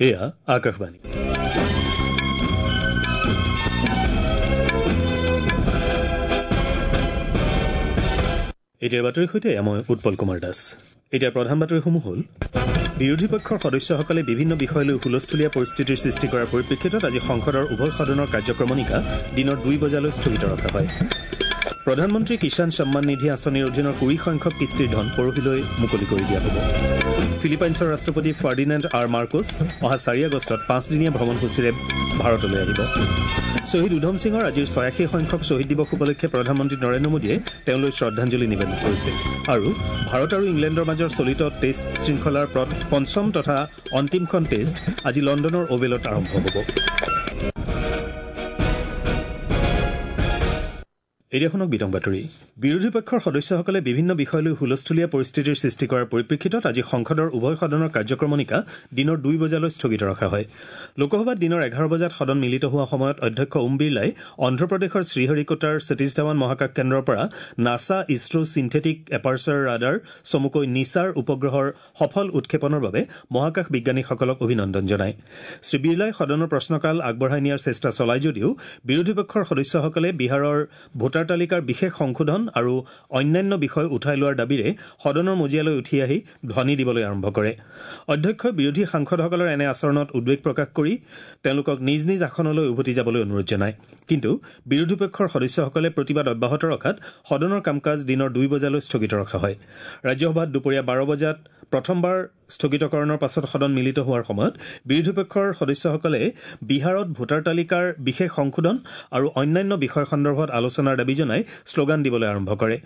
এয়া আকাশবাণী। এতিয়াৰ বাতৰিৰ সৈতে মই উৎপল কুমাৰ দাস। এতিয়া প্ৰধান বাতৰিসমূহ হ'ল: বিৰোধী পক্ষৰ সদস্যসকলে বিভিন্ন বিষয় লৈ হুলস্থুলীয়া পৰিস্থিতিৰ সৃষ্টি কৰাৰ পৰিপ্ৰেক্ষিতত আজি সংসদৰ উভয় সদনৰ কাৰ্যক্ৰমণিকা দিনৰ 2 বজালৈ স্থগিত ৰখা হয়। প্ৰধানমন্ত্ৰী কিষাণ সন্মান নিধি আঁচনিৰ অধীনৰ 20 সংখ্যক কিস্তিৰ ধন পৰহিলৈ মুকলি কৰি দিয়া হ'ব। ফিলিপাইনছৰ ৰাষ্ট্ৰপতি ফাৰ্ডিনেণ্ড আৰ মাৰ্কোছ অহা 4 আগষ্টত 5দিনীয়া ভ্ৰমণসূচীৰে ভাৰতলৈ আহিব। শ্বহীদ উধম সিঙৰ আজিৰ 86 সংখ্যক শ্বহীদ দিৱস উপলক্ষে প্ৰধানমন্ত্ৰী নৰেন্দ্ৰ মোদীয়ে তেওঁলৈ শ্ৰদ্ধাঞ্জলি নিবেদন কৰিছে। আৰু ভাৰত আৰু ইংলেণ্ডৰ মাজৰ চলিত টেষ্ট শৃংখলাৰ পঞ্চম তথা অন্তিমখন টেষ্ট আজি লণ্ডনৰ অভেলত আৰম্ভ হ'ব। এতিয়া শুনক বিতং বাতৰি। বিৰোধী পক্ষৰ সদস্যসকলে বিভিন্ন বিষয় লৈ হুলস্থুলীয়া পৰিস্থিতিৰ সৃষ্টি কৰাৰ পৰিপ্ৰেক্ষিতত আজি সংসদৰ উভয় সদনৰ কাৰ্যক্ৰমণিকা দিনৰ 2 বজালৈ স্থগিত ৰখা হয়। লোকসভাত দিনৰ 11 বজাত সদন মিলিত হোৱা সময়ত অধ্যক্ষ ওম বিৰলাই অন্ধ্ৰপ্ৰদেশৰ শ্ৰীহৰিকোটাৰ সতীশ ধাৱান মহাকাশ কেন্দ্ৰৰ পৰা NASA ISRO synthetic aperture radar চমুকৈ নিছাৰ উপগ্ৰহৰ সফল উৎক্ষেপণৰ বাবে মহাকাশ বিজ্ঞানীসকলক অভিনন্দন জনায়। শ্ৰী বিৰলাই সদনৰ প্ৰশ্নকাল আগবঢ়াই নিয়াৰ চেষ্টা চলায় যদিও বিৰোধী পক্ষৰ সদস্যসকলে বিহাৰৰ ভোটাৰ তালিকাৰ বিশেষ সংশোধন আৰু অন্যান্য বিষয় উঠাই লোৱাৰ দাবীৰে সদনৰ মজিয়ালৈ উঠি আহি ধ্বনি দিবলৈ আৰম্ভ কৰে। অধ্যক্ষই বিৰোধী সাংসদসকলৰ এনে আচৰণত উদ্বেগ প্ৰকাশ কৰি তেওঁলোকক নিজ নিজ আসনলৈ উভতি যাবলৈ অনুৰোধ জনায়। কিন্তু বিৰোধী পক্ষৰ সদস্যসকলে প্ৰতিবাদ অব্যাহত ৰখাত সদনৰ কাম কাজ দিনৰ 2 বজালৈ স্থগিত ৰখা হয়। ৰাজ্যসভাত দুপৰীয়া 12 বজাত প্ৰথমবাৰ স্থগিতকৰণৰ পাছত সদন মিলিত হোৱাৰ সময়ত বিৰোধী পক্ষৰ সদস্যসকলে বিহাৰত ভোটাৰ তালিকাৰ বিশেষ সংশোধন আৰু অন্যান্য বিষয় সন্দৰ্ভত আলোচনাৰ দাবী জনাই শ্লোগান দিবলৈ আৰম্ভ কৰে।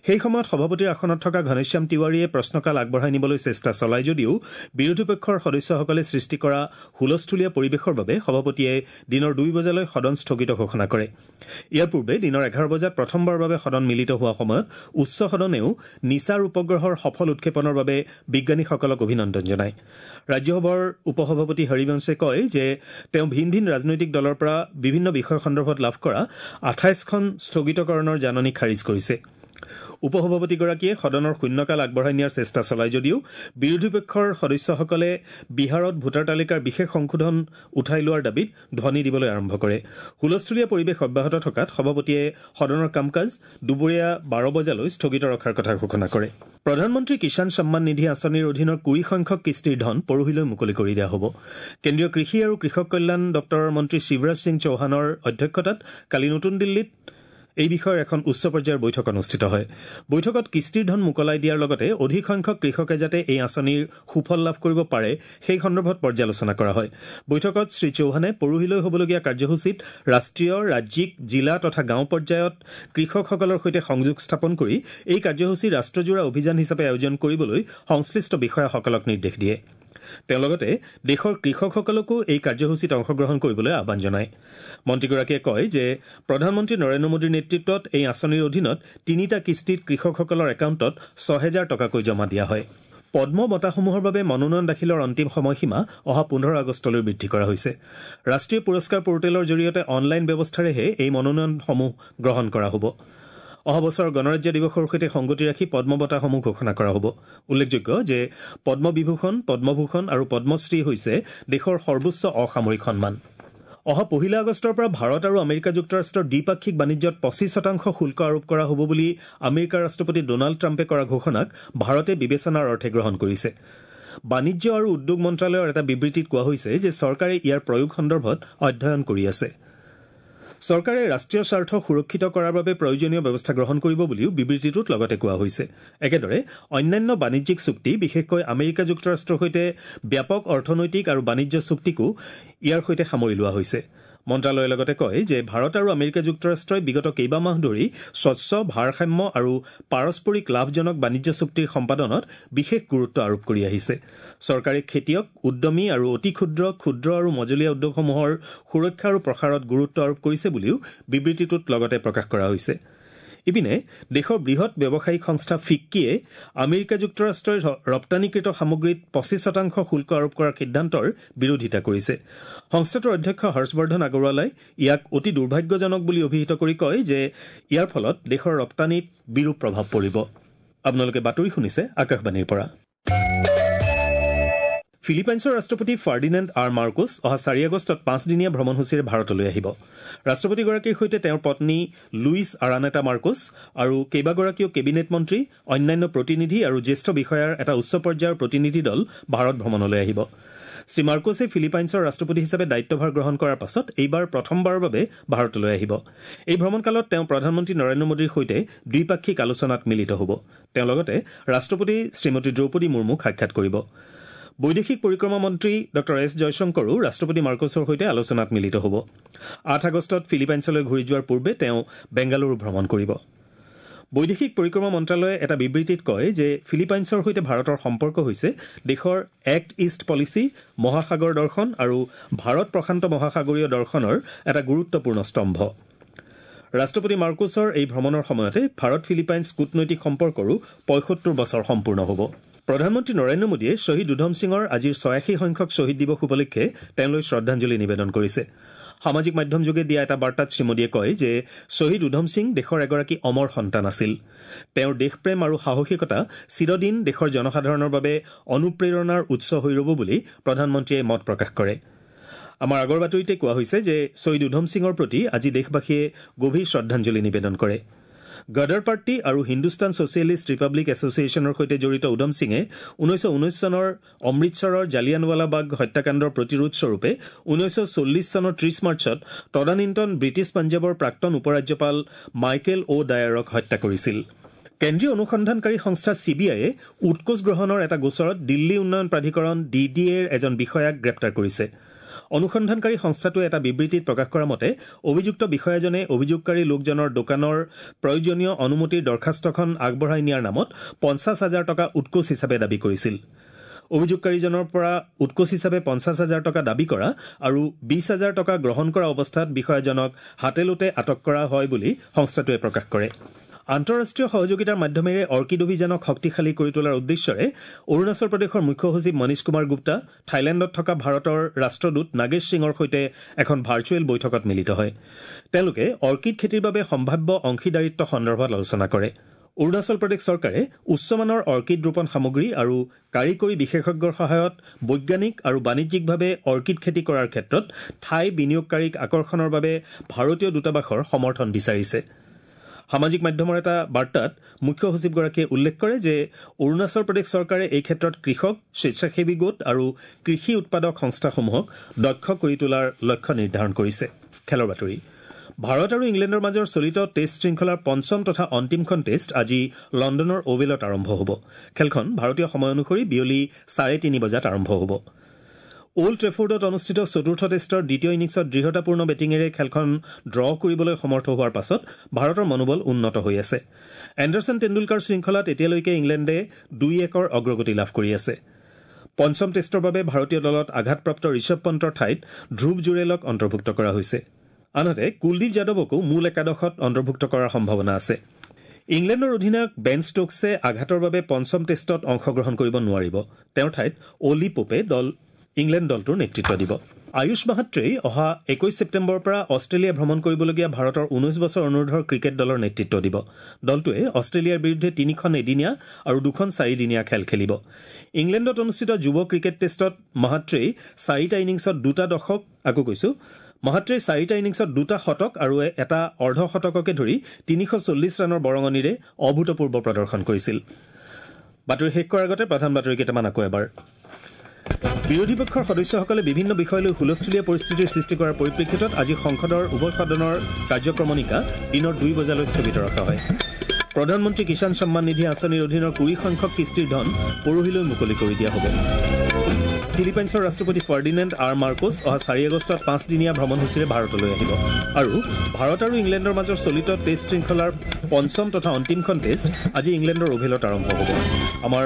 সেই সময়ত সভাপতিৰ আসনত থকা ঘনশ্যাম তিৱাৰীয়ে প্ৰশ্নকাল আগবঢ়াই নিবলৈ চেষ্টা চলায় যদিও বিৰোধী পক্ষৰ সদস্যসকলে সৃষ্টি কৰা হুলস্থুলীয়া পৰিৱেশৰ বাবে সভাপতিয়ে দিনৰ 2 বজালৈ সদন স্থগিত ঘোষণা কৰে। ইয়াৰ পূৰ্বে দিনৰ 11 বজাত প্ৰথমবাৰৰ বাবে সদন মিলিত হোৱা সময়ত উচ্চ সদনেও নিছাৰ উপগ্ৰহৰ সফল উৎক্ষেপণৰ বাবে বিজ্ঞানীসকলক অভিনন্দন জনায়। ৰাজ্যসভাৰ উপসভাপতি হৰিবংশে কয় যে তেওঁ ভিন ভিন ৰাজনৈতিক দলৰ পৰা বিভিন্ন বিষয় সন্দৰ্ভত লাভ কৰা 28খন স্থগিতকৰণৰ জাননী খাৰিজ কৰিছে। উপসভাপতিগৰাকীয়ে সদনৰ শূন্যকাল আগবঢ়াই নিয়াৰ চেষ্টা চলায় যদিও বিৰোধী পক্ষৰ সদস্যসকলে বিহাৰত ভোটাৰ তালিকাৰ বিশেষ সংশোধন উঠাই লোৱাৰ দাবীত ধ্বনি দিবলৈ আৰম্ভ কৰে। হুলস্থুলীয়া পৰিৱেশ অব্যাহত থকাত সভাপতিয়ে সদনৰ কাম কাজ দুপৰীয়া 12 বজালৈ স্থগিত ৰখাৰ কথা ঘোষণা কৰে। প্ৰধানমন্ত্ৰী কিষাণ সন্মান নিধি আঁচনিৰ অধীনৰ 20 সংখ্যক কিস্তিৰ ধন পৰহিলৈ মুকলি কৰি দিয়া হ'ব। কেন্দ্ৰীয় কৃষি আৰু কৃষক কল্যাণ দপ্তৰৰ মন্ত্ৰী শিৱৰাজ সিং চৌহানৰ অধ্যক্ষতাত কালি নতুন দিল্লীত এই বিষয়ৰ এখন উচ্চ পৰ্যায়ৰ বৈঠক অনুষ্ঠিত হয়। বৈঠকত কিস্তিৰ ধন মোকলাই দিয়াৰ লগতে অধিক সংখ্যক কৃষকে যাতে এই আঁচনিৰ সুফল লাভ কৰিব পাৰে সেই সন্দৰ্ভত পৰ্যালোচনা কৰা হয়। বৈঠকত শ্ৰী চৌহানে পৰহিলৈ হ'বলগীয়া কাৰ্যসূচীত ৰাষ্ট্ৰীয়, ৰাজ্যিক, জিলা তথা গাঁও পৰ্যায়ত কৃষকসকলৰ সৈতে সংযোগ স্থাপন কৰি এই কাৰ্যসূচী ৰাষ্ট্ৰজোৰা অভিযান হিচাপে আয়োজন কৰিবলৈ সংশ্লিষ্ট বিষয়াসকলক নিৰ্দেশ দিয়ে। তেওঁ লগতে দেশৰ কৃষকসকলকো এই কাৰ্যসূচীত অংশগ্ৰহণ কৰিবলৈ আহ্বান জনায়। মন্ত্ৰীগৰাকীয়ে কয় যে প্ৰধানমন্ত্ৰী নৰেন্দ্ৰ মোদীৰ নেতৃত্বত এই আঁচনিৰ অধীনত 3টা কিস্তিত কৃষকসকলৰ একাউণ্টত 6,000 টকাকৈ জমা দিয়া হয়। পদ্ম বঁটাসমূহৰ বাবে মনোনয়ন দাখিলৰ অন্তিম সময়সীমা অহা 15 আগষ্টলৈ বৃদ্ধি কৰা হৈছে। ৰাষ্ট্ৰীয় পুৰস্কাৰ পৰ্টেলৰ জৰিয়তে অনলাইন ব্যৱস্থাৰেহে এই মনোনয়নসমূহ গ্ৰহণ কৰা হ'ব। অহা বছৰ গণৰাজ্য দিৱসৰ সৈতে সংগতি ৰাখি পদ্ম বঁটাসমূহ ঘোষণা কৰা হ'ব। উল্লেখযোগ্য যে পদ্মবিভূষণ, পদ্মভূষণ আৰু পদ্মশ্ৰী হৈছে দেশৰ সৰ্বোচ্চ অসামৰিক সন্মান। অহা 1 আগষ্টৰ পৰা ভাৰত আৰু আমেৰিকা যুক্তৰাষ্ট্ৰৰ দ্বিপাক্ষিক বাণিজ্যত 25% শুল্ক আৰোপ কৰা হ'ব বুলি আমেৰিকাৰ ৰাষ্ট্ৰপতি ডোনাল্ড ট্ৰাম্পে কৰা ঘোষণাক ভাৰতে বিবেচনাৰ অৰ্থে গ্ৰহণ কৰিছে। বাণিজ্য আৰু উদ্যোগ মন্ত্ৰালয়ৰ এটা বিবৃতিত কোৱা হৈছে যে চৰকাৰে ইয়াৰ প্ৰয়োগ সন্দৰ্ভত অধ্যয়ন কৰি আছে। চৰকাৰে ৰাষ্ট্ৰীয় স্বাৰ্থ সুৰক্ষিত কৰাৰ বাবে প্ৰয়োজনীয় ব্যৱস্থা গ্ৰহণ কৰিব বুলিও বিবৃতিটোত লগতে কোৱা হৈছে। একেদৰে অন্যান্য বাণিজ্যিক চুক্তি, বিশেষকৈ আমেৰিকা যুক্তৰাষ্ট্ৰৰ সৈতে ব্যাপক অৰ্থনৈতিক আৰু বাণিজ্য চুক্তিকো ইয়াৰ সৈতে সামৰি লোৱা হৈছে। মন্ত্ৰালয়ে লগতে কয় যে ভাৰত আৰু আমেৰিকা যুক্তৰাষ্ট্ৰই বিগত কেইবামাহ ধৰি স্বচ্ছ, ভাৰসাম্য আৰু পাৰস্পৰিক লাভজনক বাণিজ্য চুক্তিৰ সম্পাদনত বিশেষ গুৰুত্ব আৰোপ কৰি আহিছে। চৰকাৰে খেতিয়ক, উদ্যমী আৰু অতি ক্ষুদ্ৰ, ক্ষুদ্ৰ আৰু মজলীয়া উদ্যোগসমূহৰ সুৰক্ষা আৰু প্ৰসাৰত গুৰুত্ব আৰোপ কৰিছে বুলিও বিবৃতিটোত লগতে প্ৰকাশ কৰা হৈছে। ইপিনে দেশৰ বৃহৎ ব্যৱসায়িক সংস্থা ফিক্কিয়ে আমেৰিকা যুক্তৰাষ্ট্ৰই ৰপ্তানিকৃত সামগ্ৰীত 25% শুল্ক আৰোপ কৰাৰ সিদ্ধান্তৰ বিৰোধিতা কৰিছে। সংস্থাটোৰ অধ্যক্ষ হৰ্ষবৰ্ধন আগৰৱালাই ইয়াক অতি দুৰ্ভাগ্যজনক বুলি অভিহিত কৰি কয় যে ইয়াৰ ফলত দেশৰ ৰপ্তানিত বিৰূপ প্ৰভাৱ পৰিব। আপোনালোকে বাতৰি শুনিছে আকাশবাণীৰ পৰা। ফিলিপাইনছৰ ৰাষ্ট্ৰপতি ফাৰ্ডিনেণ্ড আৰ মাৰ্কোছ অহা 4 আগষ্টত 5দিনীয়া ভ্ৰমণসূচীৰে ভাৰতলৈ আহিব। ৰাষ্ট্ৰপতিগৰাকীৰ সৈতে তেওঁৰ পত্নী লুইছ আৰানেটা মাৰ্কোছ আৰু কেইবাগৰাকীও কেবিনেট মন্ত্ৰী, অন্যান্য প্ৰতিনিধি আৰু জ্যেষ্ঠ বিষয়াৰ এটা উচ্চ পৰ্যায়ৰ প্ৰতিনিধি দল ভাৰত ভ্ৰমণলৈ আহিব। শ্ৰী মাৰ্কোছে ফিলিপাইনছৰ ৰাষ্ট্ৰপতি হিচাপে দায়িত্বভাৰ গ্ৰহণ কৰাৰ পাছত এইবাৰ প্ৰথমবাৰৰ বাবে ভাৰতলৈ আহিব। এই ভ্ৰমণকালত তেওঁ প্ৰধানমন্ত্ৰী নৰেন্দ্ৰ মোদীৰ সৈতে দ্বিপাক্ষিক আলোচনাত মিলিত হ'ব। তেওঁ লগতে ৰাষ্ট্ৰপতি শ্ৰীমতী দ্ৰৌপদী মুৰ্মুক সাক্ষাৎ কৰিব। বৈদেশিক পৰিক্ৰমা মন্ত্ৰী ডঃ এছ জয়শংকৰো ৰাষ্ট্ৰপতি মাৰ্কোছৰ সৈতে আলোচনাত মিলিত হ'ব। 8 আগষ্টত ফিলিপাইনছলৈ ঘূৰি যোৱাৰ পূৰ্বে তেওঁ বেংগালুৰু ভ্ৰমণ কৰিব। বৈদেশিক পৰিক্ৰমা মন্ত্ৰালয়ে এটা বিবৃতিত কয় যে ফিলিপাইনছৰ সৈতে ভাৰতৰ সম্পৰ্ক হৈছে দেশৰ এক্ট ইষ্ট পলিচি, মহাসাগৰ দৰ্শন আৰু ভাৰত প্ৰশান্ত মহাসাগৰীয় দৰ্শনৰ এটা গুৰুত্বপূৰ্ণ স্তম্ভ। ৰাষ্ট্ৰপতি মাৰ্কোছৰ এই ভ্ৰমণৰ সময়তে ভাৰত ফিলিপাইনছ কূটনৈতিক সম্পৰ্কৰো 75 বছৰ সম্পূৰ্ণ হ'ব। প্ৰধানমন্ত্ৰী নৰেন্দ্ৰ মোদীয়ে শ্বহীদ উধম সিঙৰ আজিৰ 86 সংখ্যক শ্বহীদ দিৱস উপলক্ষে তেওঁলৈ শ্ৰদ্ধাঞ্জলি নিবেদন কৰিছে। সামাজিক মাধ্যমযোগে দিয়া এটা বাৰ্তাত শ্ৰীমোদীয়ে কয় যে শ্বহীদ উধম সিং দেশৰ এগৰাকী অমৰ সন্তান আছিল। তেওঁৰ দেশপ্ৰেম আৰু সাহসিকতা চিৰদিন দেশৰ জনসাধাৰণৰ বাবে অনুপ্ৰেৰণাৰ উৎস হৈ ৰ'ব বুলি প্ৰধানমন্ত্ৰীয়ে মত প্ৰকাশ কৰে। আমাৰ আগৰ বাতৰিতে কোৱা হৈছে যে শ্বহীদ উধম সিঙৰ প্ৰতি আজি দেশবাসীয়ে গভীৰ শ্ৰদ্ধাঞ্জলি নিবেদন কৰে। গদৰ পাৰ্টি আৰু হিন্দুস্তান ছ'চিয়েলিষ্ট ৰিপাব্লিক এছ'চিয়েশ্যনৰ সৈতে জড়িত উধম সিঙে 1919 চনৰ অমৃতসৰৰ জালিয়ানৱালাবাগ হত্যাকাণ্ডৰ প্ৰতিৰোধস্বৰূপে 1940 চনৰ 30 মাৰ্চত তদানীন্তন ব্ৰিটিছ পাঞ্জাৱৰ প্ৰাক্তন উপৰাজ্যপাল মাইকেল অ' ডায়াৰক হত্যা কৰিছিল। কেন্দ্ৰীয় অনুসন্ধানকাৰী সংস্থা চি বি আইয়ে উৎকোচ গ্ৰহণৰ এটা গোচৰত দিল্লী উন্নয়ন প্ৰাধিকৰণ ডি ডি এৰ এজন বিষয়াক গ্ৰেপ্তাৰ কৰিছে। অনুসন্ধানকাৰী সংস্থাটোৱে এটা বিবৃতিত প্ৰকাশ কৰা মতে অভিযুক্ত বিষয়াজনে অভিযোগকাৰী লোকজনৰ দোকানৰ প্ৰয়োজনীয় অনুমতিৰ দৰখাস্তখন আগবঢ়াই নিয়াৰ নামত 50,000 টকা উৎকোচ হিচাপে দাবী কৰিছিল। অভিযোগকাৰীজনৰ পৰা উৎকোচ হিচাপে 50,000 টকা দাবী কৰা আৰু 20,000 টকা গ্ৰহণ কৰা অৱস্থাত বিষয়াজনক হাতেলোটে আটক কৰা হয় বুলি সংস্থাটোৱে প্ৰকাশ কৰে। আন্তঃৰাষ্ট্ৰীয় সহযোগিতাৰ মাধ্যমেৰে অৰ্কিড অভিযানক শক্তিশালী কৰি তোলাৰ উদ্দেশ্যৰে অৰুণাচল প্ৰদেশৰ মুখ্য সচিব মনীষ কুমাৰ গুপ্তা থাইলেণ্ডত থকা ভাৰতৰ ৰাষ্ট্ৰদূত নাগেশ সিঙৰ সৈতে এখন ভাৰ্চুৱেল বৈঠকত মিলিত হয়। তেওঁলোকে অৰ্কিড খেতিৰ বাবে সম্ভাৱ্য অংশীদাৰিত্ব সন্দৰ্ভত আলোচনা কৰে। অৰুণাচল প্ৰদেশ চৰকাৰে উচ্চমানৰ অৰ্কিড ৰোপণ সামগ্ৰী আৰু কাৰিকৰী বিশেষজ্ঞৰ সহায়ত বৈজ্ঞানিক আৰু বাণিজ্যিকভাৱে অৰ্কিড খেতি কৰাৰ ক্ষেত্ৰত থাই বিনিয়োগকাৰীক আকৰ্ষণৰ বাবে ভাৰতীয় দূতাবাসৰ সমৰ্থন বিচাৰিছে। সামাজিক মাধ্যমৰ এটা বাৰ্তাত মুখ্য সচিবগৰাকীয়ে উল্লেখ কৰে যে অৰুণাচল প্ৰদেশ চৰকাৰে এই ক্ষেত্ৰত কৃষক, স্বেচ্ছাসেৱী গোট আৰু কৃষি উৎপাদক সংস্থাসমূহক দক্ষ কৰি তোলাৰ লক্ষ্য নিৰ্ধাৰণ কৰিছে। খেলৰ বাতৰি। ভাৰত আৰু ইংলেণ্ডৰ মাজৰ চলিত টেষ্ট শৃংখলাৰ পঞ্চম তথা অন্তিমখন টেষ্ট আজি লণ্ডনৰ অ'ভেলত আৰম্ভ হ'ব। খেলখন ভাৰতীয় সময় অনুসৰি বিয়লি 3:30 বজাত আৰম্ভ হ'ব। অল্ড ট্ৰেফৰ্ডত অনুষ্ঠিত চতুৰ্থ টেষ্টৰ দ্বিতীয় ইনিংছত দৃঢ়তাপূৰ্ণ বেটিঙেৰে খেলখন ড্ৰ কৰিবলৈ সমৰ্থ হোৱাৰ পাছত ভাৰতৰ মনোবল উন্নত হৈ আছে। এণ্ডাৰছন টেণ্ডুলকাৰ শৃংখলাত এতিয়ালৈকে ইংলেণ্ডে 2-1 অগ্ৰগতি লাভ কৰি আছে। পঞ্চম টেষ্টৰ বাবে ভাৰতীয় দলত আঘাতপ্ৰাপ্ত ঋষভ পন্তৰ ঠাইত ধ্ৰুৱ জুৰেলক অন্তৰ্ভুক্ত কৰা হৈছে। আনহাতে কুলদীপ যাদৱকো মূল একাদশত অন্তৰ্ভুক্ত কৰাৰ সম্ভাৱনা আছে। ইংলেণ্ডৰ অধিনায়ক বেন ষ্ট'কছে আঘাতৰ বাবে পঞ্চম টেষ্টত অংশগ্ৰহণ কৰিব নোৱাৰিব। তেওঁৰ ঠাইত অলি পোপে ইংলেণ্ড দলটোৰ নেতৃত্ব দিব। আয়ুষ মাহাত্ৰেই অহা 21 ছেপ্টেম্বৰৰ পৰা অষ্ট্ৰেলিয়া ভ্ৰমণ কৰিবলগীয়া ভাৰতৰ 19 বছৰ অনুৰ্ধৰ ক্ৰিকেট দলৰ নেতৃত্ব দিব। দলটোৱে অষ্ট্ৰেলিয়াৰ বিৰুদ্ধে 3খন এদিনীয়া আৰু 2খন 4দিনীয়া খেল খেলিব। ইংলেণ্ডত অনুষ্ঠিত যুৱ ক্ৰিকেট টেষ্টত মাহাত্ৰেই 4টা ইনিংছত 2টা দশক আকৌ কৈছো মাহাত্ৰেই 4টা ইনিংছত 2টা শতক আৰু এটা অৰ্ধ শতককে ধৰি 340 ৰানৰ বৰঙণিৰে অভূতপূৰ্ব প্ৰদৰ্শন কৰিছিল। বাতৰি শেষ কৰাৰ আগতে প্ৰধান বাতৰি কেইটামান আকৌ এবাৰ। বিৰোধী পক্ষৰ সদস্যসকলে বিভিন্ন বিষয় লৈ হুলস্থুলীয়া পৰিস্থিতিৰ সৃষ্টি কৰাৰ পৰিপ্ৰেক্ষিতত আজি সংসদৰ উভয় সদনৰ কাৰ্যক্ৰমণিকা দিনৰ 2 বজালৈ স্থগিত ৰখা হয়। প্ৰধানমন্ত্ৰী কিষাণ সন্মান নিধি আঁচনিৰ অধীনৰ 20 সংখ্যক কিস্তিৰ ধন পৰহিলৈ মুকলি কৰি দিয়া হ'ব। ফিলিপাইনছৰ ৰাষ্ট্ৰপতি ফাৰ্ডিনেণ্ড আৰ মাৰ্কোছ অহা 4 আগষ্টত 5দিনীয়া ভ্ৰমণসূচীৰে ভাৰতলৈ আহিব। আৰু ভাৰত আৰু ইংলেণ্ডৰ মাজৰ চলিত টেষ্ট শৃংখলাৰ পঞ্চম তথা অন্তিমখন টেষ্ট আজি ইংলেণ্ডৰ অভেলত আৰম্ভ হ'ব। আমাৰ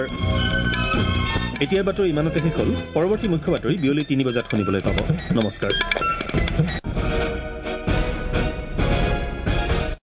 এতিয়াৰ বাতৰি ইমানতে শেষ হ'ল। পৰৱৰ্তী মুখ্য বাতৰি বিয়লি 3 বজাত শুনিবলৈ পাব। নমস্কাৰ।